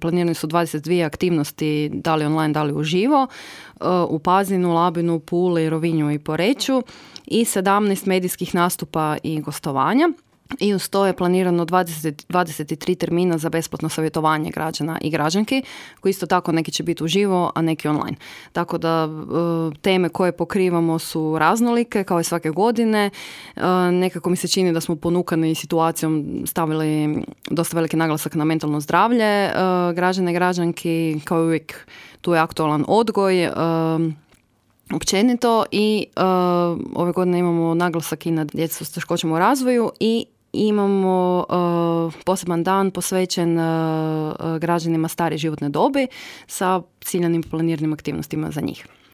Planirane su 22 aktivnosti, da li online, da li uživo, u Pazinu, Labinu, Puli, Rovinju i Poreču i 17 medijskih nastupa i gostovanja. I uz to je planirano 23 termina za besplatno savjetovanje građana i građanki, koji isto tako neki će biti uživo, a neki online. Tako da teme koje pokrivamo su raznolike, kao i svake godine. Nekako mi se čini da smo ponukani situacijom stavili dosta veliki naglasak na mentalno zdravlje građana i građanki, kao i uvijek tu je aktualan odgoj, općenito i ove godine imamo naglasak i na djecu s teškoćama u razvoju i imamo poseban dan posvećen građanima starije životne dobi sa ciljanim planiranim aktivnostima za njih.